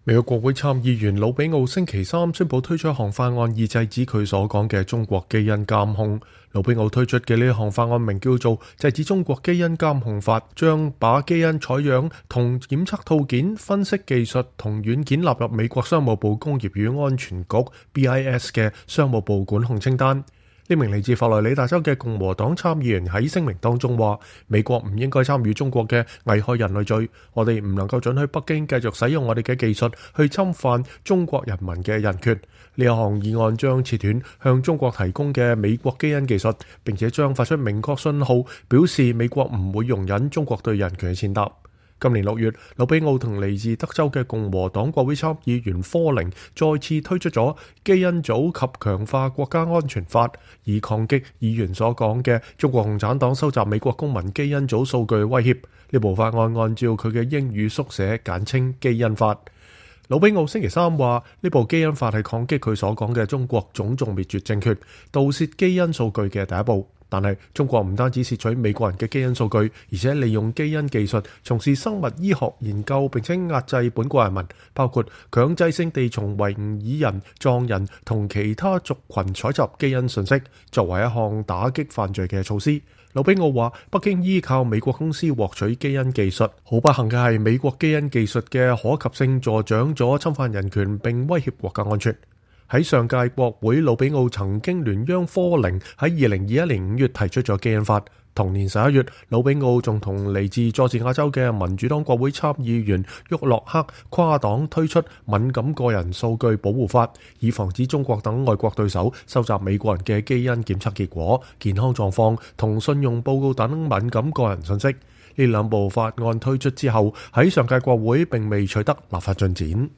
美國國會參議員魯比奧星期三宣布推出一項法案，以制止佢所講嘅中國基因監控。魯比奧推出嘅呢項法案名叫做《制止中國基因監控法》，將把基因採樣同檢測套件、分析技術同軟件納入美國商務部工業與安全局 BIS 嘅商務部管控清單。呢名嚟自佛羅里達州嘅共和黨參議員喺聲明當中話：美國唔應該參與中國嘅危害人類罪，我哋唔能夠准許北京繼續使用我哋嘅技術去侵犯中國人民嘅人權。呢一項議案將切斷向中國提供嘅美國基因技術，並且將發出明確信號，表示美國唔會容忍中國對人權嘅踐踏。今年6月，魯比奧同嚟自德州嘅共和黨國會參議員科寧再次推出咗基因組及強化國家安全法，以抗擊議員所講嘅中國共產黨收集美國公民基因組數據威脅。呢部法案按照佢嘅英語縮寫簡稱基因法。魯比奧星期三話，呢部基因法係抗擊佢所講嘅中國種族滅絕政權，盜竊基因數據嘅第一步。但係中國唔單止竊取美國人嘅基因數據，而且利用基因技術從事生物醫學研究，並且壓制本國人民，包括強制性地從維吾爾人、藏人同其他族群採集基因信息，作為一項打擊犯罪嘅措施。魯比奧話，北京依靠美國公司獲取基因技術，好不幸嘅係美國基因技術嘅可及性助長咗侵犯人權並威脅國家安全。喺上屆國會，魯比奧曾經聯央科寧喺2021年5月提出咗基因法。同年11月，魯比奧仲同嚟自佐治亞州嘅民主黨國會參議員沃洛克跨黨推出敏感個人數據保護法，以防止中國等外國對手收集美國人嘅基因檢測結果、健康狀況同信用報告等敏感個人信息。呢兩部法案推出之後，喺上屆國會並未取得立法進展。